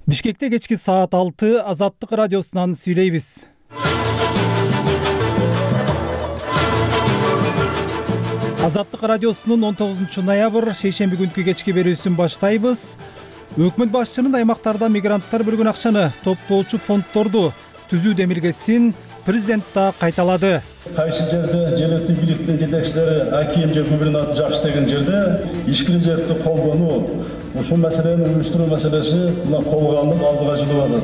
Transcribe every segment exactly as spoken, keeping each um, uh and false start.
Бишкекте кечки саат алты Азаттык радиосунан сүйлөйбүз. Азаттык радиосунун он тогузунчу ноябрь шейшемби күнкү кечки берүүсүн баштайбыз. Өкмөт башчынын аймактарда мигранттар бөлгөн акчаны топтоочу фонддорду түзүү демилгесин президент да кайталады. Кайсы жерде жергиликтүү бийликтин жетекчилери аким же губернатор жакшы деген жерде ички резервди колдонуу, ушул маселени уюштуруу маселеси мына колго алынып алдыга жылып атат.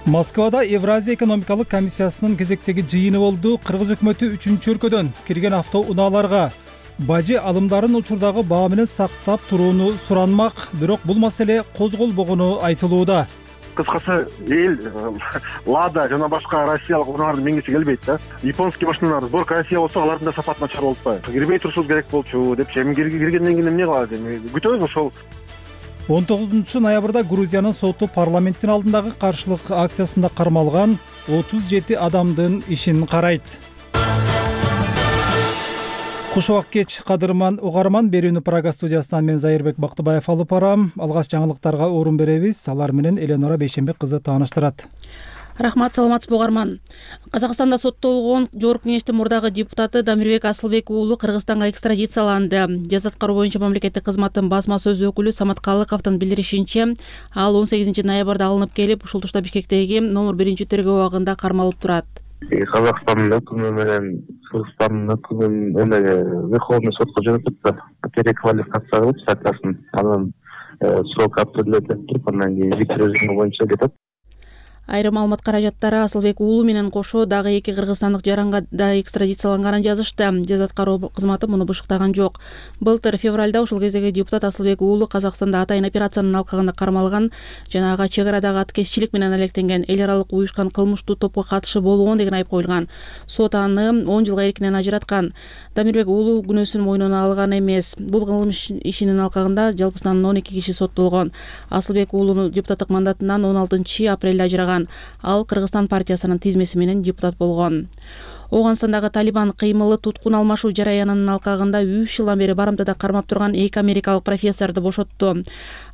Москвада Евразия экономикалык комиссиясынын кезектеги жыйыны болду. Кыргыз өкмөтү үчүнчү өлкөдөн кирген автоунааларга бажы алымдарын учурдагы баа менен сактап турууну суранмак, бирок бул маселе козголбогону айтылууда. Кыскасы эл Лада жана башка россиялык унааларды мингиси келбейт да. Японский машиналар сборка Россия болсо, алардын да сапаты начар болуп атпайбы. Кирбей турушубуз керек болчу деп, эми киргенден кийин эмне кылат эми? Күтөбүз ошол. он тогузунчу ноябрда Грузиянын соту парламенттин алдындагы каршылык акциясында кармалган отуз жети адамдын ишин карайт. Куш убак кеч, кадырман угарман. Берүүнү Прага студиясынан мен Зайырбек Бактыбаев алып барам. Алгач жаңылыктарга орун беребиз. Алар менен Эленора Бейшенбек кызы тааныштырат. Рахмат, саламатсызбы угарман. Казакстанда соттолгон Жогорку Кеңештин мурдагы депутаты Дамирбек Асылбек уулу Кыргызстанга экстрадицияланды. Жаза аткаруу боюнча мамлекеттик кызматтын басма сөз өкүлү Самат Калыковдун билдиришинче, ал он сегизинчи ноябрда алынып келип, ушул тушта Бишкектеги номер биринчи тергөө абагында кармалып турат. Казакстандын өкүмү менен Кыргызстандын өкүмүн эмеге Верховный сотко жөнөтүп, переквалификация кылып статьясын, анан срок определять туруп, андан кийин виз режими боюнча кетет. Айрым маалымат каражаттары Асылбек уулу менен кошо дагы эки кыргызстандык жаранга да экстрадицияланганын жазышты. Жаза аткаруу кызматы муну бышыктаган жок. Былтыр февралда ушул кездеги депутат Асылбек уулу Казакстанда атайын операциянын алкагында кармалган жана ага чек арадагы аткезчилик менен алектенген, эл аралык уюшкан кылмыштуу топко катышы болгон деген айып коюлган. Сот аны он жылга эркинен ажыраткан. Дамирбек уулу күнөөсүн мойнуна алган эмес. Бул кылмыш ишинин алкагында жалпысынан он эки киши соттолгон. Асылбек уулунун депутаттык мандатынан он алтынчы апрелде ажыраган. Ал Кыргызстан партиясынын тизмеси менен депутат болгон. Оганстандагы Талибан кыймылы туткун алмашуу жараянынын алкагында үч жылдан бери барымтада кармап турган эки америкалык профессорду бошотту.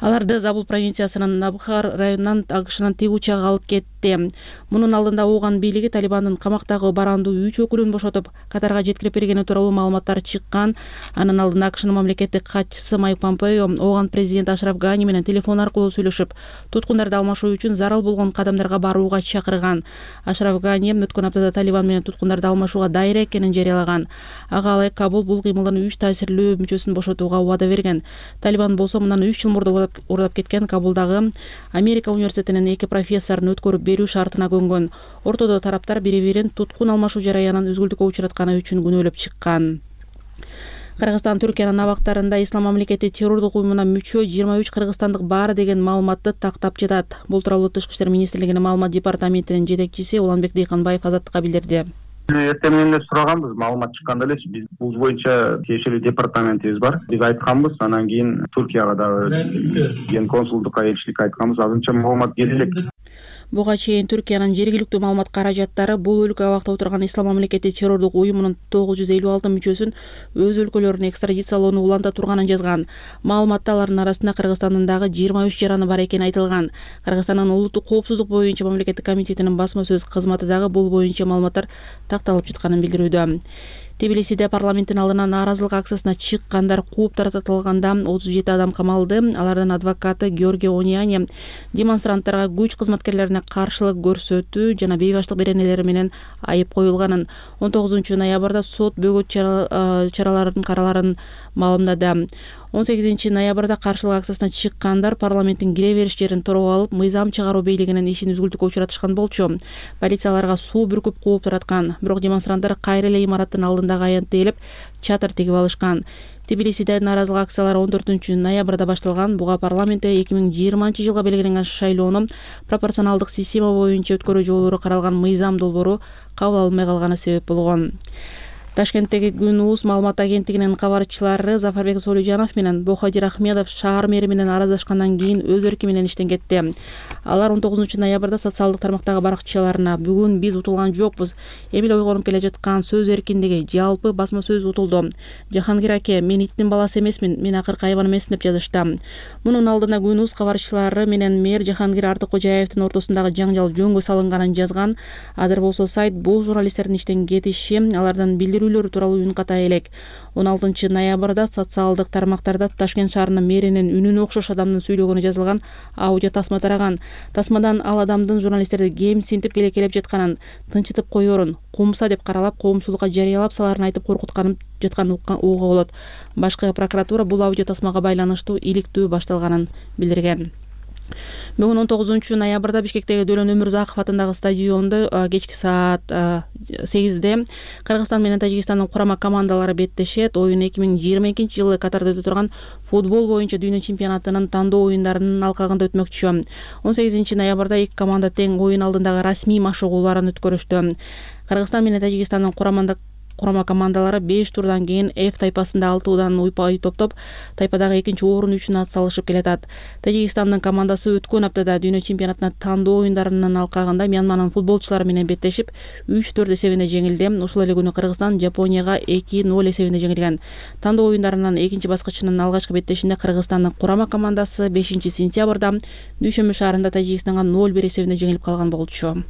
Аларды Забул провинциясынын Набхар районунан агышынан тик учак алып кетти. Мунун алдында Ооган бийлиги Талибандын камактагы барандуу үч өкүлүн бошотуп, Катарга жеткирип бергени тууралуу маалыматтар чыккан. Анын алдында АКШнын мамлекеттик катчысы Майк Помпео Ооган президент Ашраф Гани менен телефон аркылуу сүйлөшүп, туткундарды алмашуу үчүн зарыл болгон кадамдарга барууга чакырган. Ашраф Гани өткөн аптада Талибан менен туткундарды алмашууга дайыр экенин жарыялаган. Ага алай Кабул бул кыймылдын үч таасирлүү мүчөсүн бошотууга убада берген. Талибан болсо мындан үч жыл мурда урдап кеткен Кабулдагы Америка университетинин эки профессорун өткөрүп берүү шартына көнгөн. Ортодо тараптар бири-бирин туткун алмашуу жараянын үзгүлтүккө учуратканы үчүн күнөөлөп чыккан. Кыргызстан Түркиянын абактарында Ислам мамлекети террордук уюмуна мүчө жыйырма үч кыргызстандык бар деген маалыматты тактап жатат. Бул тууралуу Тышкы иштер министрлигинин маалымат департаментинин жетекчиси Уланбек Дыйканбаев Азаттыкка билдирди. Эртең менен эле сураганбыз, маалымат чыкканда эле биз бул боюнча тиешелүү департаментибиз бар. Биз айтканбыз, анан кийин Түркияга дагы ген консулдукка элчиликке айтканбыз. Азырынча маалымат келе элек. Буга чейин Түркиянын жергиликтүү маалымат каражаттары бул өлкө абакта отурган Ислам мамлекети террордук уюмунун тогуз жүз элүү алты мүчөсүн өз өлкөлөрүнө экстрадициялоону уланта турганын жазган. Маалыматта алардын арасында Кыргызстандын дагы жыйырма үч жараны бар экени айтылган. Кыргызстандын улуттук коопсуздук боюнча мамлекеттик комитетинин басма сөз кызматы дагы бул боюнча маалыматтар такталып жатканын билдирүүдө. Тбилисиде парламенттин алдына нааразылык акциясына чыккандар кууп таратылганда отуз жети адам камалды. Алардын адвокаты Георгий Ониани демонстранттарга күч кызматкерлерине каршылык көрсөтүү жана бейбаштык беренелери менен айып коюлганын. он тогузунчу ноябрда сот бөгөт чараларын караларын маалымдады. он сегизинчи ноябрда каршылык акциясына чыккандар парламенттин кире бериш жерин тороп алып, мыйзам чыгаруу бийлигинин ишин үзгүлтүккө учуратышкан болчу. Полицияларга суу бүркүп кууп тараткан. Бирок демонстранттар кайра эле имараттын алдындагы аянтты ээлеп, чатыр тигип алышкан. Тбилисиде нааразылык акциялары он төртүнчү ноябрда башталган. Буга парламентте эки миң жыйырманчы жылга белгиленген шайлоону пропорционалдык система боюнча өткөрүү жолдору каралган мыйзам долбоору кабыл алынбай калганы себеп болгон. Ташкенттеги Күн УУС маалымат агенттигинин кабарчылары Зафарбек Солужанов менен Бохадир Ахмедов шаар мэри менен араздашкандан кийин өз эрки менен иштен кетти. Алар он тогузунчу ноябрда социалдык тармактагы баракчаларына бүгүн биз утулган жокпуз, эми ойгонуп келе жаткан сөз эркиндиги, жалпы басма сөз утулду. Жахангир аке, мен иттин баласы эмесмин, мен акыркы айбан эмесмин деп жазышты. Мунун алдына Күн УУС кабарчылары менен мэр Жахангир Артыккожаевдин ортосундагы жаңжал жөнгө салынганын жазган. Азыр болсо сайт бул журналисттердин иштен кетиши, алардан билдирүүлөр тууралуу үн ката элек. он алтынчы ноябрда социалдык тармактарда Ташкент шаарынын мэринин үнүнө окшош адамдын сүйлөгөнү жазылган аудио тасма тараган. Тасмадан ал адамдын журналисттерди кемсинтип келекелеп жатканын, тынчытып коерун, кумса деп каралап, коомчулукка жарыялап саларын айтып коркутканын жатканын угууга болот. Башкы прокуратура бул аудио тасмага байланыштуу иликтөө башталганын билдирген. Бүгүн он тогузунчу ноябрда Бишкектеги Дөлөн Өмүрзаков атындагы стадиондо кечки саат сегизде Кыргызстан менен Тажикстандын курама командалары беттешет. Оюн эки миң жыйырма экинчи жылы Катарда өтө турган футбол боюнча дүйнө чемпионатынын тандоо оюндарынын алкагында өтмөкчү. он сегизинчи ноябрда эки команда тең оюн алдындагы расмий машыгууларын өткөрүштү. Кыргызстан менен Тажикстандын курамында Курама командалары беш турдан кийин F тайпасында алты удан уйпай топтоп, тайпадагы экинчи орун үчүн атсалышып келатат. Тажикстандын командасы өткөн аптада дүйнө чемпионатына тандоо оюндарынын алкагында Мьянманын футболчулары менен беттешип, үч төрт эсебинде жеңилди. Ушул эле күнү Кыргызстан Жапонияга эки ноль эсебинде жеңилген. Тандоо оюндарынын экинчи баскычынын алгачкы беттешинде Кыргызстандын курама командасы бешинчи сентябрда Дүйшөмбү шаарында Тажикстанга ноль бир эсебинде жеңилип калган болчу.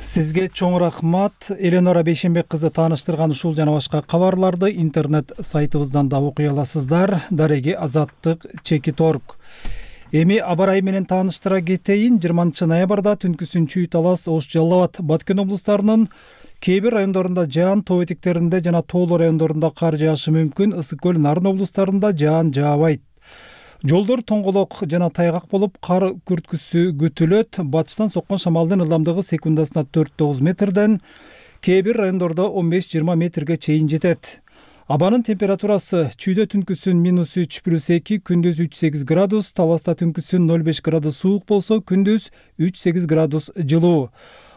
Сизге чоң рахмат. Эленора Бейшенбек кызы тааныштырган ушул жана башка кабарларды интернет сайтыбыздан да окуй аласыздар. Дареги Азаттык Чекит орг. Эми абарай менен тааныштыра кетейин. жыйырманчы ноябрда түнкүсүн Чүй, Талас, Ош, Жалал Абад, Баткен облустарынын кээ бир райондорунда жаан, тоо этектеринде жана тоолуу райондорунда кар жаашы мүмкүн. Ысык көл, Нарын облустарында жаан жаабайт. Жолдор тоңголок жана тайгак болуп, кар күрткүсү күтүлөт. Батыштан соккон шамалдын ылдамдыгы секундасына төрт тогуз метрден, кээ бир райондордо он беш жыйырма метрге чейин жетет. Абанын температурасы Чүйдө түнкүсүн минус үч плюс эки, күндүз үч сегиз градус, Таласта түнкүсүн ноль беш градус суук болсо, күндүз үч сегиз градус жылуу.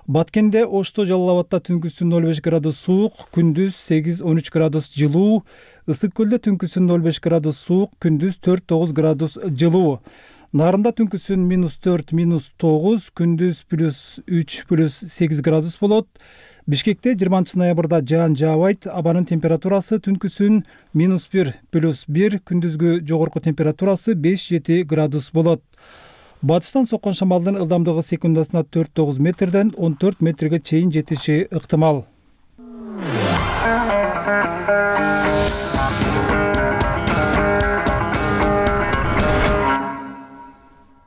Баткенде, Ошто, Жалал Абадта түнкүсүн ноль беш градус суук, күндүз сегиз он үч градус жылуу. Ысык көлдө түнкүсүн ноль беш градус суук, күндүз төрт тогуз градус жылуу. Нарында түнкүсүн минус төрт минус тогуз, күндүз плюс үч плюс сегиз градус болот. Бишкекте жыйырманчы ноябрда жаан жаабайт. Абанын температурасы түнкүсүн минус бир плюс бир, күндүзгү жогорку температурасы беш жети градус болот. Батыштан соккон шамалдын ылдамдыгы секундасына төрт тогуз метрден он төрт метрге чейин жетиши ыктымал.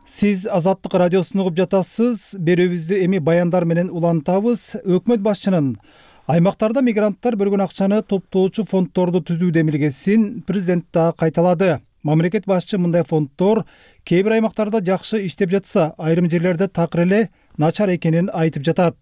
Сиз Азаттык радиосун угуп жатасыз. Берүүбүздү эми баяндар менен улантабыз. Өкмөт башчынын аймактарда мигранттар бөлгөн акчаны топтоочу фонддорду түзүү демилгесин президент да кайталады. Мамлекет башчы мындай фонддор кээ бир аймактарда жакшы иштеп жатса, айрым жерлерде такыр эле начар экенин айтып жатат.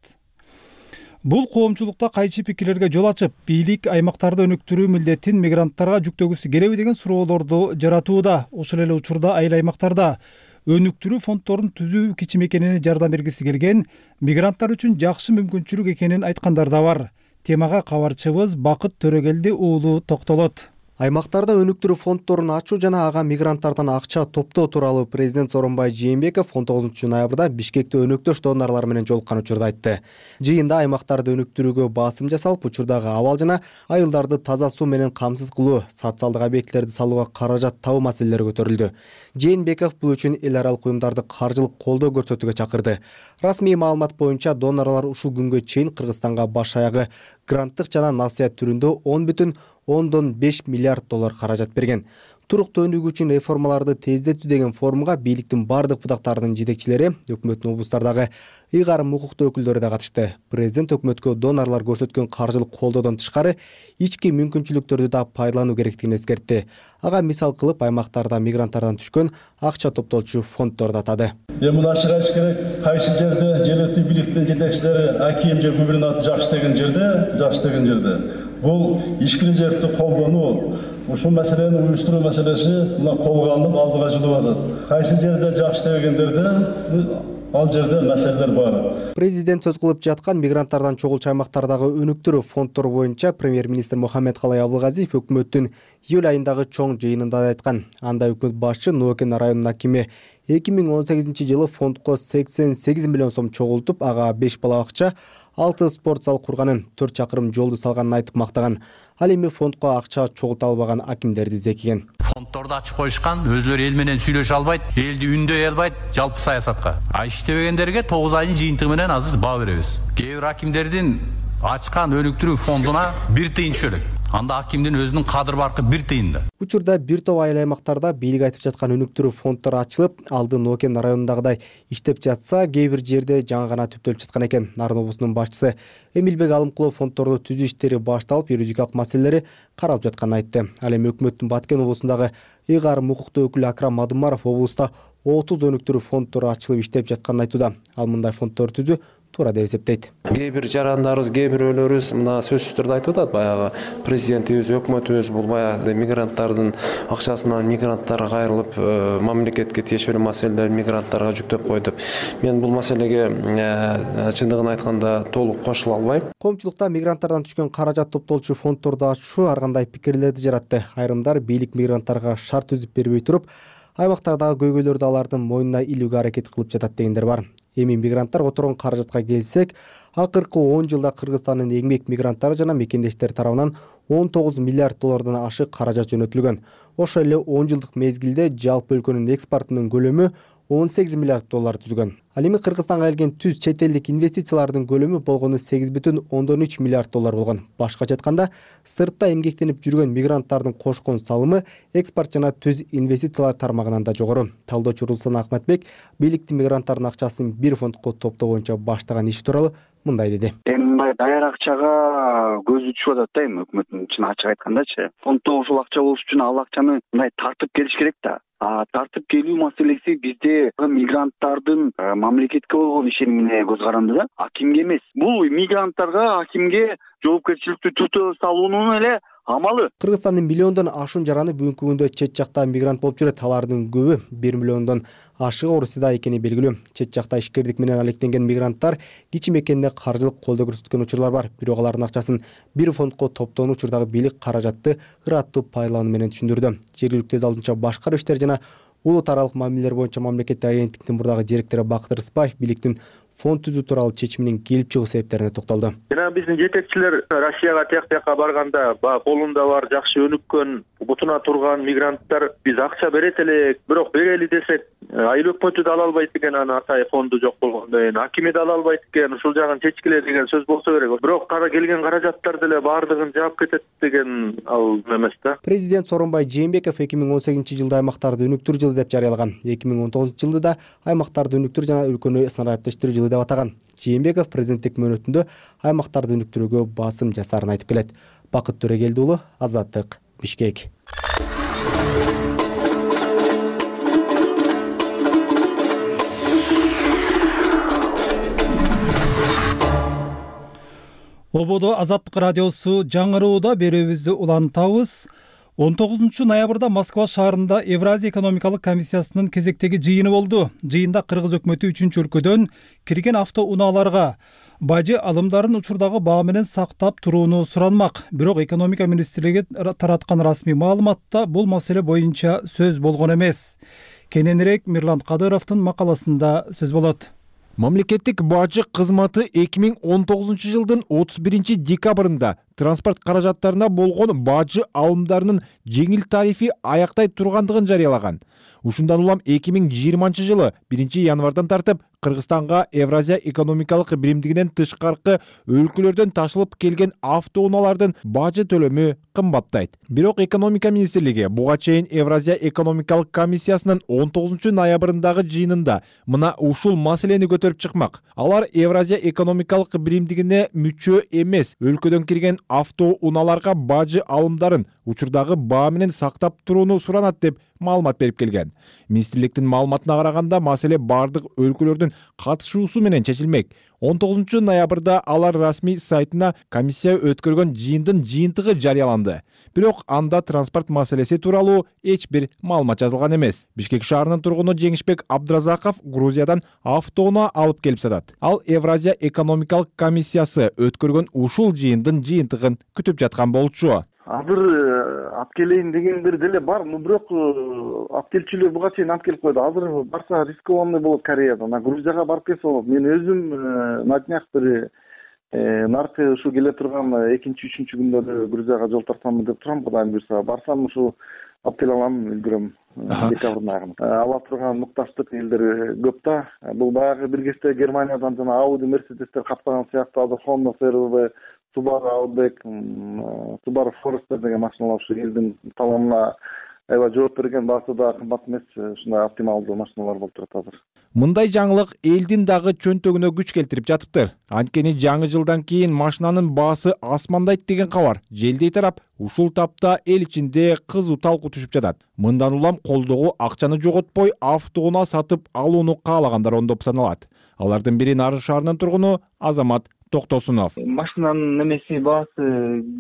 Бул коомчулукта кайчы пикирлерге жол ачып, бийлик аймактарды өнүктүрүү милдетин мигранттарга жүктөгүсү келеби деген суроолорду жаратууда. Ошол эле учурда айыл аймактарда өнүктүрүү фонддорун түзүү кичимекенене жардам бергиси келген, мигранттар үчүн жакшы мүмкүнчүлүк экенин айткандар да бар. Темага кабарчыбыз Бакыт Төрөгелди уулу токтолот. Аймактарда өнүктүрүү фонддорун ачуу жана ага мигранттардан акча топтоо тууралуу президент Сооронбай Жээнбеков он тогузунчу ноябрда Бишкекте өнөктөш донорлор менен жолуккан учурда айтты. Жыйында аймактарды өнүктүрүүгө басым жасалып, учурдагы абал жана айылдарды таза суу менен камсыз кылуу, социалдык объектилерди салууга каражат табуу маселелери көтөрүлдү. Жээнбеков бул үчүн эл аралык уюмдарды каржылык колдоо көрсөтүүгө чакырды. Расмий маалымат боюнча донорлор ушул күнгө чейин Кыргызстанга баш аягы гранттык жана насыят түрүндө он бүтүн ондон беш миллиард доллар каражат берген. Туруктуу өнүгүү үчүн реформаларды тездетүү деген форумга бийликтин бардык бутактарынын жетекчилери, өкмөттүн облустардагы ыйгарым укуктуу өкүлдөрү да катышты. Президент өкмөткө донорлор көрсөткөн каржылык колдоодон тышкары ички мүмкүнчүлүктөрдү да пайдалануу керектигин эскертти. Ага мисал кылып аймактарда мигранттардан түшкөн акча топтолчу фонддорду атады. Эми ачык айтыш керек, кайсы жерде жергиликтүү бийликтин жетекчилери аким же губернатор жакшы деген жерде, жакшы деген жерде бул ишкилежекти колдонуу, ушул маселени уюштуруу маселеси мына колго алынып алдыга жылып атат. Кайсы жерде жакшы дегендерде ал жерде маселелер бар. Президент сөз кылып жаткан мигранттардан чогулчу аймактардагы өнүктүрүү фонддору боюнча премьер-министр Мухаммедкалай Абылгазиев өкмөттүн июль айындагы чоң жыйынында да айткан. Анда өкмөт башчы Ноокен районунун акими эки миң он сегизинчи жылы фондко сексен сегиз миллион сом чогултуп, ага беш бала бакча, алты спорт зал курганын, төрт чакырым жолду салганын айтып мактаган. Ал эми фондко акча чогулта албаган акимдерди зекиген. Фонддорду ачып коюшкан, өзлөрү эл менен сүйлөшө албайт, элди үндөй албайт жалпы саясатка. А иштебегендерге тогуз айдын жыйынтыгы менен азыр баа беребиз. Кээ бир акимдердин ачкан өнүктүрүү фондуна бир тыйын түшө элек. Анда акимдин өзүнүн кадыр баркы бир тыйын да. Учурда бир топ айыл аймактарда бийлик айтып жаткан өнүктүрүү фонддору ачылып, алды Ноокен районундагыдай иштеп жатса, кээ бир жерде жаңы гана түптөлүп жаткан экен. Нарын облусунун башчысы Эмилбек Алымкулов фонддорду түзүү иштери башталып, юридикалык маселелери каралып жатканын айтты. Ал эми өкмөттүн Баткен облусундагы ыйгарым укуктуу өкүлү Акрам Мадумаров облуста отуз өнүктүрүү фонддору ачылып иштеп жатканын айтууда. Ал мындай фонддорду түзүү туура деп эсептейт. Кээ бир жарандарыбыз, кээ бирөөлөрүбүз мына сөзсүз түрдө айтып атат, баягы президентибиз, өкмөтүбүз бул баягы мигранттардын акчасынан мигранттарга кайрылып, мамлекетке тиешелүү маселелерди мигранттарга жүктөп койду. Мен бул маселеге чындыгын айтканда толук кошула албайм. Коомчулукта мигранттардан түшкөн каражат топтолчу фонддорду ачуу ар кандай пикирлерди жаратты. Айрымдар бийлик мигранттарга шарт түзүп бербей туруп, аймактагы көйгөйлөрдү алардын мойнуна илүүгө аракет кылып жатат дегендер бар. Эми мигранттар которгон каражатка келсек, акыркы он жылда Кыргызстандын эмгек мигранттары жана мекендештер тарабынан он тогуз миллиард доллардан ашык каражат жөнөтүлгөн. Ошол эле он жылдык мезгилде жалпы өлкөнүн экспортунун көлөмү он сегиз миллиард доллар түзгөн. Ал эми Кыргызстанга келген түз чет элдик инвестициялардын көлөмү болгону сегиз бүтүн ондон үч миллиард доллар болгон. Башкача айтканда, сыртта эмгектенип жүргөн мигранттардын кошкон салымы экспорт жана түз инвестициялар тармагынан да жогору. Талдоочу Руслан Акматбек бийликтин мигранттардын акчасын бир фондко топтоо боюнча баштаган иши тууралуу мындай деди. Эми мындай даяр акчага көзү түшүп атат да, эми өкмөттүн чын ачык айткандачы. Фонддо ушул акча болуш үчүн ал акчаны мындай тартып келиш керек да. А тартып келүү маселеси бизде мигранттардын мамлекетке болгон ишенимине көз каранды да, акимге эмес. Бул мигранттарга, акимге жоопкерчиликтүү түртө салуунун эле амалы. Кыргызстандын миллиондон ашуун жараны бүгүнкү күндө чет жакта мигрант болуп жүрөт. Алардын көбү бир миллиондон ашыгы Орусияда экени белгилүү. Чет жакта ишкердик менен алектенген мигранттар кичи мекенде каржылык колдоо көрсөткөн учурлар бар. Бирок алардын акчасын бир фондко топтоон учурдагы бийлик каражатты ыраттуу пайдалануу менен түшүндүрдү. Жергиликтүү өз алдынча башкаруу иштери жана улут аралык мамилелер боюнча мамлекеттик агенттиктин мурдагы директору Бакыт Рыспаев бийликтин фонд түзүү тууралуу чечиминин келип чыгуу себептерине токтолду. Жана биздин жетекчилер Россияга тияк бияка барганда, колунда бар жакшы өнүккөн, бутуна турган мигранттар биз акча берет элек, бирок берели десек, айыл өкмөтү да ала албайт экен, аны атайын фонду жок болгондон кийин, акими да ала албайт экен, ушул жагын чечкиле деген сөз болсо керек. Бирок кара келген каражаттар деле баардыгын жаап кетет деген ал эмес да. Президент Сооронбай Жээнбеков эки миң он сегизинчи жылда аймактарды өнүктүрүү жылы деп жарыялаган. эки миң он тогузунчу жылды да аймактарды өнүктүрүү жана өлкөнү снарядтештирүү жылы деп атаган. Жээнбеков президенттик мөөнөтүндө аймактарды өнүктүрүүгө басым жасаарын айтып келет. Бакыт Төрөгелди уулу, Азаттык, Бишкек. Ободо Азаттык радиосу жаңырууда берүүбүздү улантабыз. он тогузунчу ноябрда Москва шаарында Евразия экономикалык комиссиясынын кезектеги жыйыны болду. Жыйында Кыргыз өкмөтү үчүнчү өлкөдөн кирген автоунааларга бажы алымдарын учурдагы баа менен сактап турууну суранмак. Бирок экономика министрлиги тараткан расмий маалыматта бул маселе боюнча сөз болгон эмес. Кененирээк Мирлан Кадыровдун макаласында сөз болот. Мамлекеттик бажы кызматы эки миң он тогузунчу жылдын отуз биринчи декабрында транспорт каражаттарына болгон бажы алымдарынын жеңил тарифи аяктай тургандыгын жарыялаган. Ушундан улам эки миң жыйырманчы жылы биринчи январдан тартып Кыргызстанга Евразия экономикалык биримдигинен тышкаркы өлкөлөрдөн ташылып келген автоунаалардын бажы төлөмү кымбаттайт. Бирок экономика министрлиги буга чейин Евразия экономикалык комиссиясынын он тогузунчу ноябрындагы жыйынында мына ушул маселени көтөрүп чыкмак. Алар Евразия экономикалык биримдигине мүчө эмес өлкөдөн кирген автоунааларга бажы алымдарын учурдагы баа менен сактап турууну суранат деп маалымат берип келген. Министрликтин маалыматына караганда маселе бардык өлкөлөрдүн катышуусу менен чечилмек. он тогузунчу ноябрда алар расмий сайтына комиссия өткөргөн жыйындын жыйынтыгы жарыяланды. Бирок анда транспорт маселеси тууралуу эч бир маалымат жазылган эмес. Бишкек шаарынын тургуну Жеңишбек Абдразаков Грузиядан автоунаа алып келип сатат. Ал Евразия экономикалык комиссиясы өткөргөн ушул жыйындын жыйынтыгын күтүп жаткан болчу. Азыр алып келейин дегендер деле бар, но бирок алып келчүлөр буга чейин алып келип койду. Азыр барса рискованный болот Кореядан. Грузияга барып келсе болот. Мен өзүм на днях бир наркы ушу келе турган экинчи үчүнчү күндөрү Грузияга жол тартамын деп турам. Кудайым буйрса барсам ушу алып келе алам, үлгүрөм. Декабрдын айында. Ала турган мукташтык элдер көп да. Бул баягы бир кезде Германиядан жана Audi, Mercedes'тер каптаган сыяктуу азыр Honda си эр ви, Subaru Outback, Subaru Forester деген машиналар ушу элдин талабына аябай жооп берген, баасы да кымбат эмес, ушундай оптималдуу машиналар болуп турат азыр. Мындай жаңылык элдин дагы чөнтөгүнө күч келтирип жатыптыр. Анткени жаңы жылдан кийин машинанын баасы асмандайт деген кабар желдей тарап, ушул тапта эл ичинде кызуу талкуу түшүп жатат. Мындан улам колдогу акчаны жоготпой автоунаа сатып алууну каалагандар ондоп саналат. Алардын бири Нарын шаарынын тургуну Азамат Токтосунов. Машинанын немеси баасы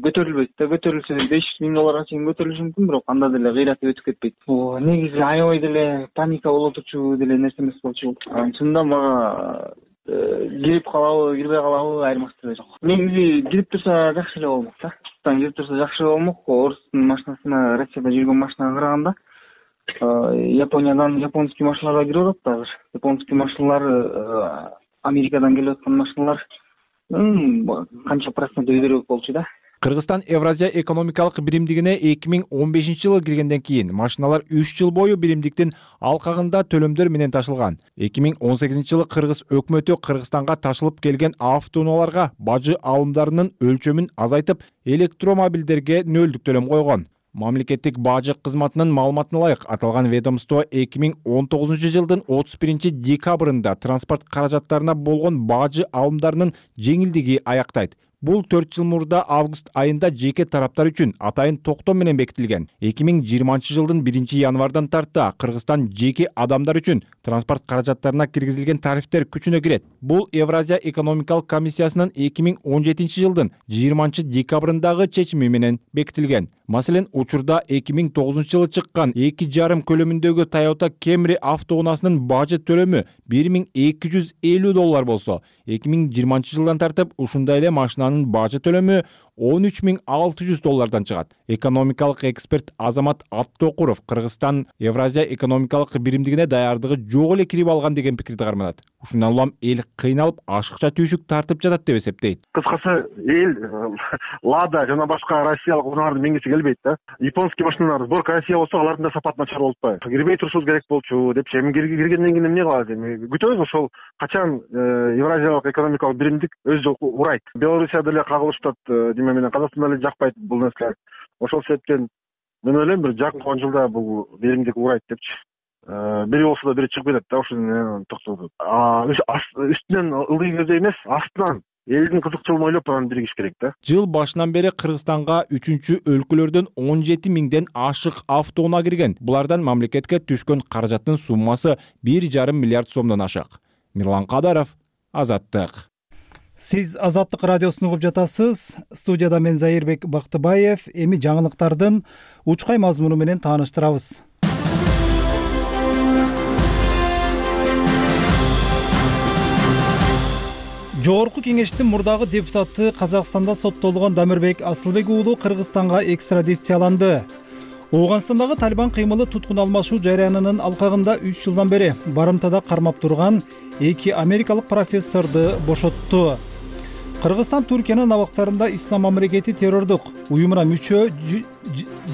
көтөрүлбөйт да, көтөрүлсө беш жүз миң долларга чейин көтөрүлүшү мүмкүн, бирок анда деле кыйратып өтүп кетпейт. Бул негизи аябай деле паника болуп турчу деле нерсе эмес болчу. Чынында мага кирип калабы, кирбей калабы айырмасы жок. Негизи кирип турса жакшы эле болмок да. Кирип турса жакшы болмок. Орустун машинасына, Россияда жүргөн машинага караганда Япониядан японский машиналарга кирип атат азыр. Японский машиналар Америкадан келип аткан машиналар канча процент өйдөрөөк болчу да. Кыргызстан Евразия экономикалык биримдигине эки миң он бешинчи жылы киргенден кийин машиналар үч жыл бою биримдиктин алкагында төлөмдөр менен ташылган. эки миң он сегизинчи жылы Кыргыз өкмөтү Кыргызстанга ташылып келген автоунааларга бажы алымдарынын өлчөмүн азайтып, электромобилдерге нөлдүк төлөм койгон. Мамлекеттик бажы кызматынын маалыматына ылайык, аталган ведомство эки миң он тогузунчу жылдын отуз биринчи декабрында транспорт каражаттарына болгон бажы алымдарынын жеңилдиги аяктайт. Бул төрт жыл мурда август айында жеке тараптар үчүн атайын токтом менен бекитилген. эки миң жыйырманчы жылдын биринчи январдан тарта Кыргызстан жеке адамдар үчүн транспорт каражаттарына киргизилген тарифтер күчүнө кирет. Бул Евразия экономикалык комиссиясынын эки миң он жетинчи жылдын жыйырманчы декабрындагы чечими менен бекитилген. Маселен, учурда эки миң тогузунчу жылы чыккан эки жарым көлөмүндөгү Toyota Camry автоунаасынын бажы төлөмү бир миң эки жүз элүү доллар болсо, эки миң жыйырманчы жылдан тартып ушундай эле машинанын бажы төлөмү он үч миң алты жүз доллардан чыгат. Экономикалык эксперт Азамат Аттокуров Кыргызстан Евразия экономикалык биримдигине даярдыгы жок эле кирип алган деген пикирди карманат. Ушундан улам эл кыйналып, ашыкча түйшүк тартып жатат деп эсептейт. Кыскасы, эл Лада жана башка россиялык унаалардын меңгеси келбейт да. Японский машиналар сборка Россия болсо, алардын да сапаты начар болуп атпайбы. Кирбей турушубуз керек болчу депчи. Эми киргенден кийин эмне кылабыз эми? Күтөбүз ошол качан Евразиялык экономикалык биримдик өзү урайт. Белоруссия деле кагылышып атат, деме менен Казакстан деле жакпайт бул нерсе. Ошол себептен мен ойлойм, бир жакынкы он жылда бул биримдик урайт депчи. Бири болсо да бири чыгып кетет да, ошону токтотот. Үстүнөн ылдый көздөй эмес, астынан элдин кызыкчылыгын ойлоп анан биригиш керек да. Жыл башынан бери Кыргызстанга үчүнчү өлкөлөрдөн он жети миңден ашык автоунаа кирген. Булардан мамлекетке түшкөн каражаттын суммасы бир жарым миллиард сомдон ашык. Мирлан Кадаров, Азаттык. Сиз Азаттык радиосун угуп жатасыз. Студияда мен Заирбек Бактыбаев. Эми жаңылыктардын учкай мазмуну менен тааныштырабыз. Жогорку кеңештин мурдагы депутаты Казакстанда соттолгон Дамирбек Асылбек уулу Кыргызстанга экстрадицияланды. Ооганстандагы Талибан кыймылы туткун алмашуу жарыянынын алкагында үч жылдан бери барымтада кармап турган эки америкалык профессорду бошотту. Кыргызстан Түркиянын абактарында Ислам мамлекети террордук уюмуна мүчө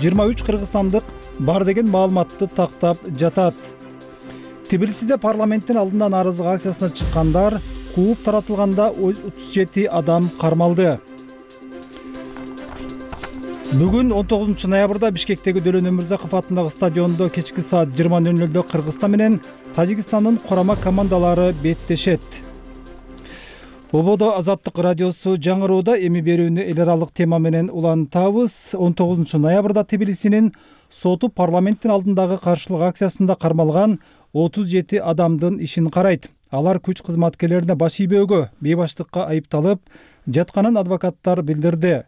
жыйырма үч кыргызстандык бар деген маалыматты тактап жатат. Тбилисиде парламенттин алдында нааразылык акциясына чыккандар кууп таратылганда отуз жети адам кармалды. Бүгүн он тогузунчу ноябрда Бишкектеги Дөлөн Өмүрзаков атындагы стадиондо кечки саат жыйырма ноль нолдо Кыргызстан менен Тажикстандын курама командалары беттешет. Ободо Азаттык радиосу жаңырууда. Эми берүүнү эл аралык тема менен улантабыз. он тогузунчу ноябрда Тбилисинин соту парламенттин алдындагы каршылык акциясында кармалган отуз жети адамдын ишин карайт. Алар күч кызматкерлерине баш ийбөөгө, бейбаштыкка айыпталып жатканын адвокаттар билдирди.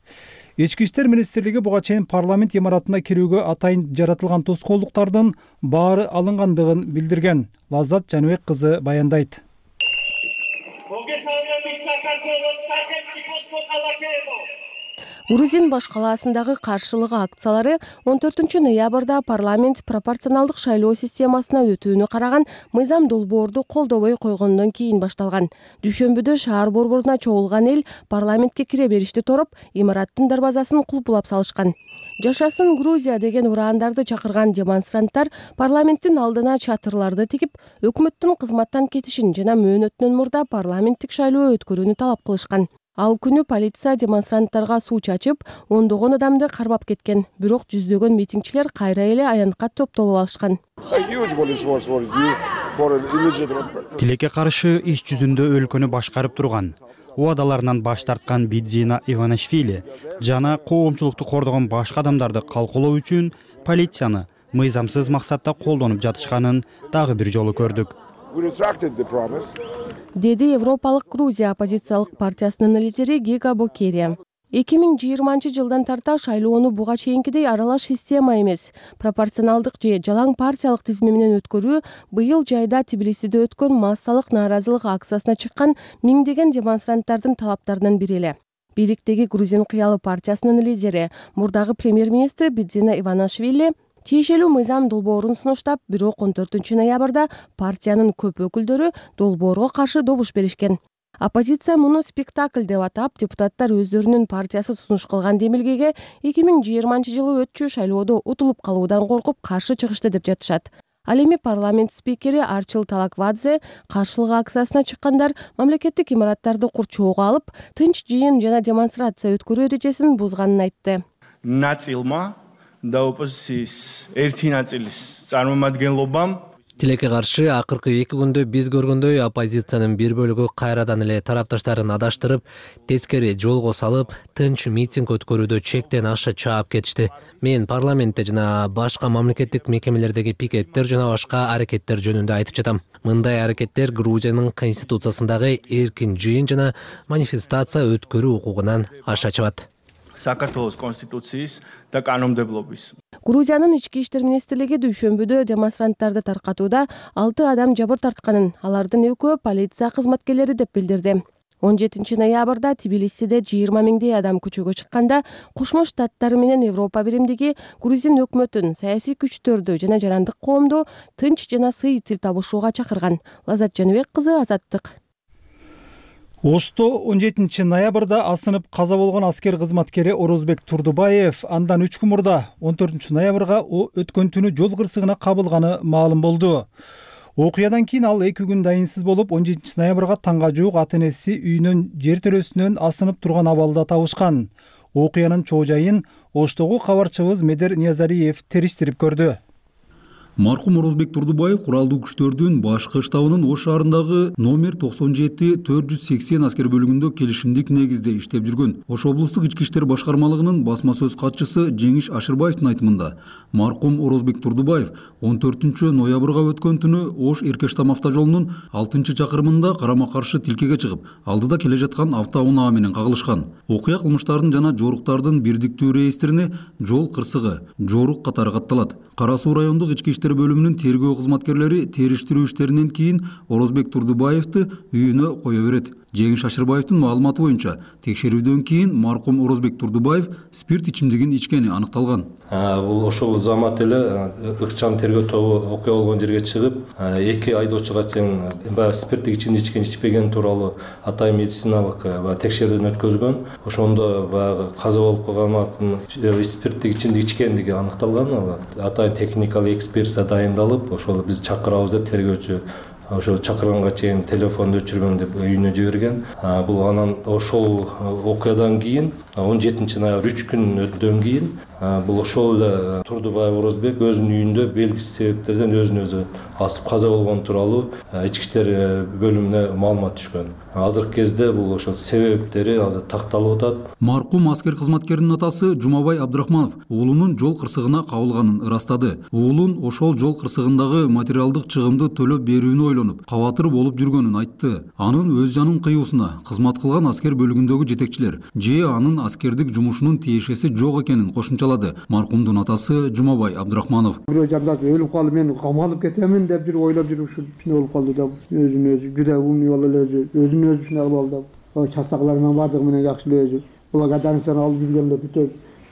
Ички иштер министрлиги буга чейин парламент имаратына кирүүгө атайын жаратылган тоскоолдуктардын баары алынгандыгын билдирген. Лаззат Жаныбек кызы баяндайт. Грузин баш калаасындагы каршылык акциялары он төртүнчү ноябрда парламент пропорционалдык шайлоо системасына өтүүнү караган мыйзам долбоорду колдобой койгондон кийин башталган. Дүйшөмбүдө шаар борборуна чогулган эл парламентке кире беришти тороп, имараттын дарбазасын кулпулап салышкан. Жашасын Грузия деген ураандарды чакырган демонстранттар парламенттин алдына чатырларды тигип, өкмөттүн кызматтан кетишин жана мөөнөтүнөн мурда парламенттик шайлоо өткөрүүнү талап кылышкан. Ал күнү полиция демонстранттарга суу чачып, ондогон адамды кармап кеткен. Бирок жүздөгөн митингчилер кайра эле аянтка топтолуп алышкан. Тилекке каршы иш жүзүндө өлкөнү башкарып турган, убадаларынан баш тарткан Бидзина Иванишвили жана коомчулукту кордогон башка адамдарды калкулоо үчүн полицияны мыйзамсыз максатта колдонуп жатышканын дагы бир жолу көрдүк. Деди Европалык Грузия оппозициялык партиясынын лидери Гига Бокери. эки миң жыйырманчы жылдан тарта шайлоону буга чейинкидей аралаш система эмес, пропорционалдык же жалаң партиялык тизме менен өткөрүү быйыл жайда Тбилисиде өткөн массалык нааразылык акциясына чыккан миңдеген демонстранттардын талаптарынын бири эле. Бийликтеги Грузин кыялы партиясынын лидери, мурдагы премьер-министри Бидзина Иванишвили тиешелүү мыйзам долбоорун сунуштап, бирок он төртүнчү ноябрда партиянын көп өкүлдөрү долбоорго каршы добуш беришкен. Оппозиция муну спектакль деп атап, депутаттар өздөрүнүн партиясы сунуш кылган демилгеге эки миң жыйырманчы жылы өтчү шайлоодо утулуп калуудан коркуп каршы чыгышты деп жатышат. Ал эми парламент спикери Арчил Талаквадзе каршылык акциясына чыккандар мамлекеттик имараттарды курчоого алып, тынч жыйын жана демонстрация өткөрүү эрежесин бузганын айтты. Ნაწილმა და ოპოზიციის ერთი ნაწილის წარმომადგენლობამ Тилекке каршы акыркы эки күндө биз көргөндөй оппозициянын бир бөлүгү кайрадан эле тарапташтарын адаштырып, тескери жолго салып, тынч митинг өткөрүүдө чектен аша чаап кетишти. Мен парламентте жана башка мамлекеттик мекемелердеги пикеттер жана башка аракеттер жөнүндө айтып жатам. Мындай аракеттер Грузиянын конституциясындагы эркин жыйын жана манифестация өткөрүү укугунан аша чыгат. საქართველოს კონსტიტუციის და კანონმდებლობის. Грузиянын ички иштер министрлиги дүйшөмбүдө демонстранттарды таркатууда алты адам жабыр тартканын, алардын экөө полиция кызматкерлери деп билдирди. он жетинчи ноябрда Тбилисиде жыйырма миңдей адам көчөгө чыкканда, Кошмо Штаттары менен Европа биримдиги Грузин өкмөтүн саясий күчтөрдү жана жарандык коомду тынч жана сый тил табышууга чакырган. Лаззат Жаныбек кызы, Азаттык. Ошто он жетинчи ноябрда асынып каза болгон аскер кызматкери Орозбек Турдубаев андан үч күн мурда он төртүнчү ноябрга өткөн түнү жол кырсыгына кабылганы маалым болду. Окуядан кийин ал эки күн дайынсыз болуп, он жетинчи ноябрга таңга жуук ата энеси үйүнөн жер төрөсүнөн асынып турган абалда табышкан. Окуянын чоо жайын Оштогу кабарчыбыз Медер Ниязариев териштирип көрдү. Маркум Орозбек Турдубаев куралдуу күчтөрдүн башкы штабынын Ош шаарындагы номер токсон жети төрт жүз сексен аскер бөлүгүндө келишимдик негизде иштеп жүргөн. Ош облустук ички иштер башкармалыгынын басма сөз катчысы Жеңиш Ашырбаевдин айтымында, маркум Орозбек Турдубаев он төртүнчү ноябрга өткөн түнү Ош Эркештам автожолунун алтынчы чакырымында карама каршы тилкеге чыгып, алдыда келе жаткан автоунаа менен кагылышкан. Окуя кылмыштардын жана жоруктардын бирдиктүү реестрине жол кырсыгы, жорук катары катталат. Кара Суу райондук ички иштер бөлүмүнүн тергөө кызматкерлери териштирүү иштеринен кийин Орозбек Турдубаевди үйүнө кое берет. Жеңиш Ашырбаевдин маалыматы боюнча, текшерүүдөн кийин маркум Орозбек Турдубаев спирт ичимдигин ичкени аныкталган. Бул ошол замат эле ыкчам тергөө тобу окуя болгон жерге чыгып, эки айдоочуга чейин баягы спирттик ичимди ичкен ичпеген тууралуу атайын медициналык текшерүүдөн өткөзгөн. Ошондо баягы каза болуп калган маркум спирттик ичимдик ичкендиги аныкталган. Атайын техникалык экспертиза дайындалып, ошол биз чакырабыз деп тергөөчү ошо чакырганга чейин телефонду өчүргөн деп үйүнө жиберген. Бул анан ошол окуядан кийин он жетинчи ноябрь үч күн өтөдөн кийин бул ошол эле Турдубаев Орозбек өзүнүн үйүндө белгисиз себептерден өзүн өзү асып каза болгон тууралуу ички иштер бөлүмүнө маалымат түшкөн. Азыркы кезде бул ошол себептери азыр такталып атат. Маркум аскер кызматкеринин атасы Жумабай Абдрахманов уулунун жол кырсыгына кабылганын ырастады. Уулун ошол жол кырсыгындагы материалдык чыгымды төлөп берүүнү ойлонуп, кабатыр болуп жүргөнүн айтты. Анын өз жанын кыюусуна кызмат кылган аскер бөлүгүндөгү жетекчилер же анын аскердик жумушунун тиешеси жок экенин кошумчалады маркумдун атасы Жумабай Абдрахманов. Бирөө жардап өлүп калып мен камалып кетемин деп жүрүп ойлоп жүрүп ушул ичине болуп калды да өзүн өзү жүдө умный болуп эле өзүн өзү ушундай кылып алды. Чатаклар менен бардыгы менен жакшы эле өзү благодарностьтарын алып жүргөндө бүтө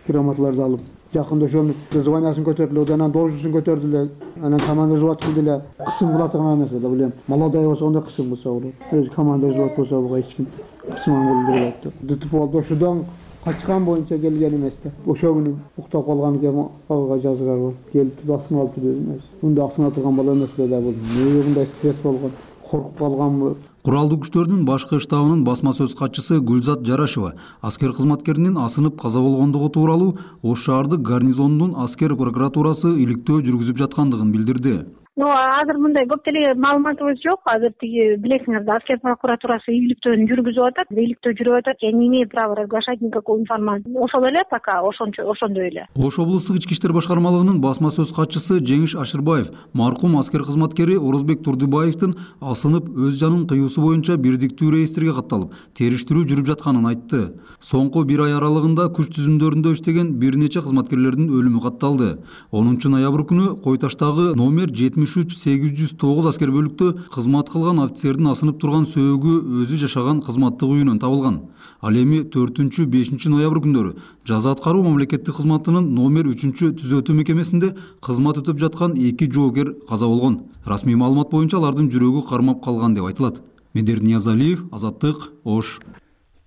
грамоталарды алып жакында ошонун званиясын көтөрдүлөр, анан должностун көтөрдүлөр, анан команда взвод кылды эле. Кысым кылатыган эмес да билем. Молодой болсо анда кысым кылса болот. Өзү команда взвод болсо буга эч ким кысым кылдырбайт. ДТП болду ошодон качкан боюнча келген эмес да. Ошол күнү уктап калган экен, ага жазгар бар. Келип басын алып жүрөбүз. Мында асына турган бала эмес эле да бул. Эмне мындай стресс болгон, коркуп калганбы? Куралдуу күчтөрдүн башкы штабынын басма сөз катчысы Гүлзат Жарашева аскер кызматкеринин асынып каза болгондугу тууралуу Ош шаардык гарнизонунун аскер прокуратурасы иликтөө жүргүзүп жаткандыгын билдирди. Ну, азыр мындай көп деле маалыматыбыз жок. Азыр тиги билесиңер да, аскер прокуратурасы иликтөөнү жүргүзүп атат, иликтөө жүрүп атат. Я не имею права разглашать никакую информацию. Ошол эле пока, ошончо ошондой эле. Ош облустук ички иштер башкармалыгынын басма сөз катчысы Жеңиш Ашырбаев маркум аскер кызматкери Орозбек Турдубаевдин асынып өз жанын кыюусу боюнча бирдиктүү реестрге катталып, териштирүү жүрүп жатканын айтты. Соңку бир ай аралыгында күч түзүмдөрүндө иштеген бир нече кызматкерлердин өлүмү катталды. онунчу ноябрь күнү Кой Таштагы номер жетимиш үч сегиз жүз тогуз аскер бөлүктө кызмат кылган офицердин асынып турган сөөгү өзү жашаган кызматтык үйүнөн табылган. Ал эми төртүнчү бешинчи ноябрь күндөрү жаза аткаруу мамлекеттик кызматынын номер үчүнчү түзөтүү мекемесинде кызмат өтөп жаткан эки жоокер каза болгон. Расмий маалымат боюнча алардын жүрөгү кармап калган деп айтылат. Медер Ниязалиев, Азаттык, Ош.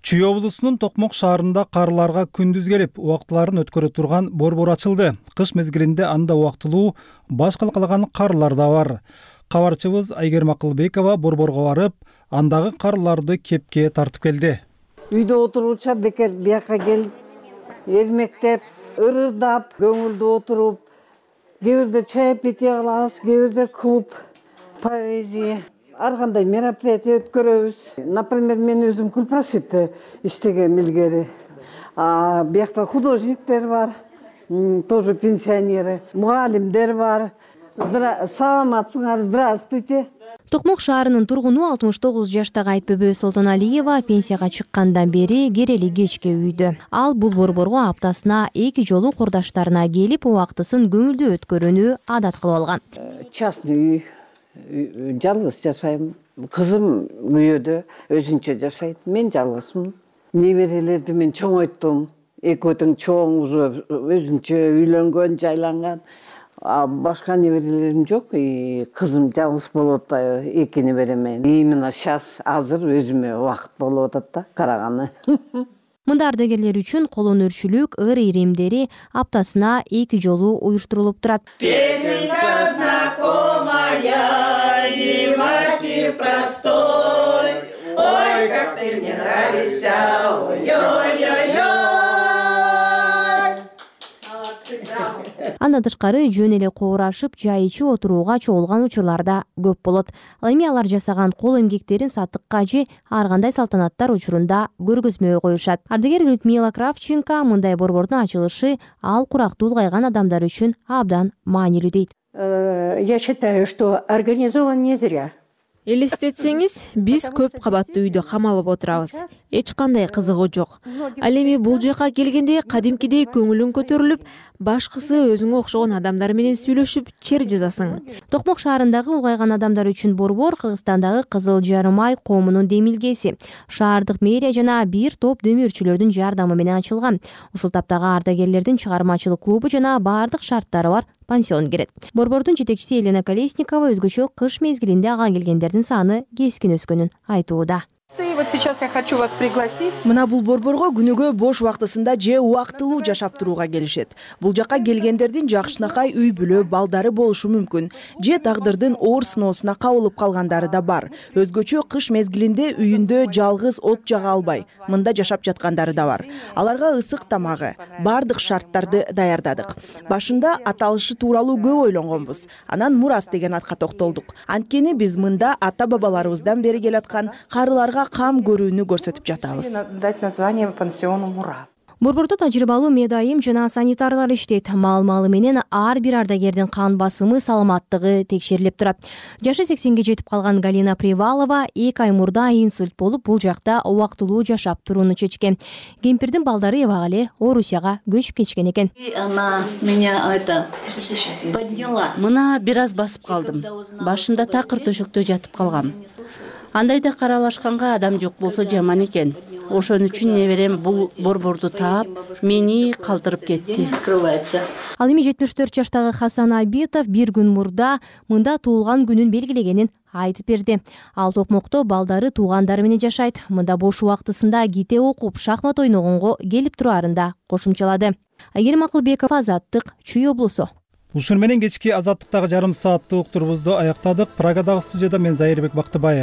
Чүй облусунун Токмок шаарында карларга күндүз келип, убактыларын өткөрө турган борбор ачылды. Кыш мезгилинде анда убактылуу баш калкалаган карлар да бар. Кабарчыбыз Айгерим Акылбекова борборго барып, андагы карларды кепке тартып келди. Үйдө отуруча бекер бияка келип, эрмектеп, ырырдап, көңүлдүү отуруп, кээ бирде чаепитие кылабыз, кээ бирде клуб, поэзия, ар кандай мероприятие өткөрөбүз. Например, мен өзүм Кулпросвитте иштеген илгери. А биякта художниктер бар, тоже пенсионеры, мугалимдер бар. Саламатсыңар, здравствуйте. Токмок шаарынын тургуну алтымыш тогуз жаштагы Айтбөбө Солтоналиева пенсияга чыккандан бери керели кечке үйдө. Ал бул борборго аптасына эки жолу курдаштарына келип, убактысын көңүлдүү өткөрүүнү адат кылып алган. Частный үй, жалгыз жашайм. Кызым үйдө өзүнчө жашайт. Мен жалгызмын. Неберелерди мен чоңойттум. Экөө тең чоң уже өзүнчө үйлөнгөн, жайланган. А башка неберелерим жок. Кызым жалгыз болуп атпайбы? Эки неберемен. Именно сейчас азыр өзүмө убакыт болуп атат да, караганы. Мында ардагерлер үчүн колонөрчүлүк, ыр иримдери аптасына эки жолу уюштурулуп турат. Песенка знакомая, и мотив простой. Ой, как ты мне нравишься, ой-ой-ой-ой. Андан тышкары жөн эле коорашып, жай ичи отурууга чогулган учурлар да көп болот. Ал эми алар жасаган кол эмгектерин сатыкка же ар кандай салтанаттар учурунда көргөзмөгө коюшат. Ардагер Людмила Кравченко мындай борбордун ачылышы ал курактуу улгайган адамдар үчүн абдан маанилүү дейт. Я считаю, что организован не зря. Элестетсеңиз, биз көп кабаттуу үйдө камалып отурабыз. Эч кандай кызыгуу жок. Ал эми бул жака келгенде кадимкидей көңүлүң көтөрүлүп, башкысы өзүңө окшогон адамдар менен сүйлөшүп, чер жазасың. Токмок шаарындагы улгайган адамдар үчүн борбор Кыргызстандагы Кызыл Жарым ай коомунун демилгеси. Шаардык мэрия жана бир топ дөмөрчүлөрдүн жардамы менен ачылган. Ушул таптагы ардагерлердин чыгармачылык клубу жана бардык шарттары бар пансион кирет. Борбордун жетекчиси Елена Колесникова өзгөчө кыш мезгилинде ага келгендердин саны кескин өскөнүн айтууда. В вот сейчас я хочу вас пригласить. Мына бул борборго күнүгө бош убактысында же убактылуу жашап турууга келишет. Бул жака келгендердин жакшынакай үй бүлө балдары болушу мүмкүн. Же тагдырдын оор сыноосуна кабылып калгандары да бар. Өзгөчө кыш мезгилинде үйүндө жалгыз от жага албай, мында жашап жаткандары да бар. Аларга ысык тамагы, бардык шарттарды даярдадык. Башында аталышы тууралуу көп ойлонгонбуз. Анан мурас деген атка токтолдук. Анткени биз мында ата бабаларыбыздан бери келаткан карыларга кам көрүүнү көрсөтүп жатабыз. Дать название пансиону Мурас. Борбордо тажрыйбалуу медайым жана санитарлар иштейт. Маал-маалы менен ар бир ардагердин кан басымы, саламаттыгы текшерилип турат. Жашы сексенге жетип калган Галина Привалова эки ай мурда инсульт болуп, бул жакта убактылуу жашап турууну чечкен. Кемпирдин балдары эбак эле Орусияга көчүп кетишкен экен. Она меня это подняла. Мына бир аз басып калдым. Башында такыр төшөктө жатып калгам. Андайда каралашканга адам жок болсо жаман экен. Ошон үчүн неберем бул борборду таап, мени калтырып кетти. Ал эми жетимиш төрт жаштагы Хасан Абитов бир күн мурда мында туулган күнүн белгилегенин айтып берди. Ал Токмокто балдары туугандары менен жашайт. Мында бош убактысында ките окуп, шахмат ойногонго келип турарын да кошумчалады. Айгерим Акылбеков, Азаттык, Чүй облусу. Ушун менен кечки Азаттыктагы жарым сааттык уктурубузду аяктадык. Прагадагы студияда мен Зайырбек Бактыбаев.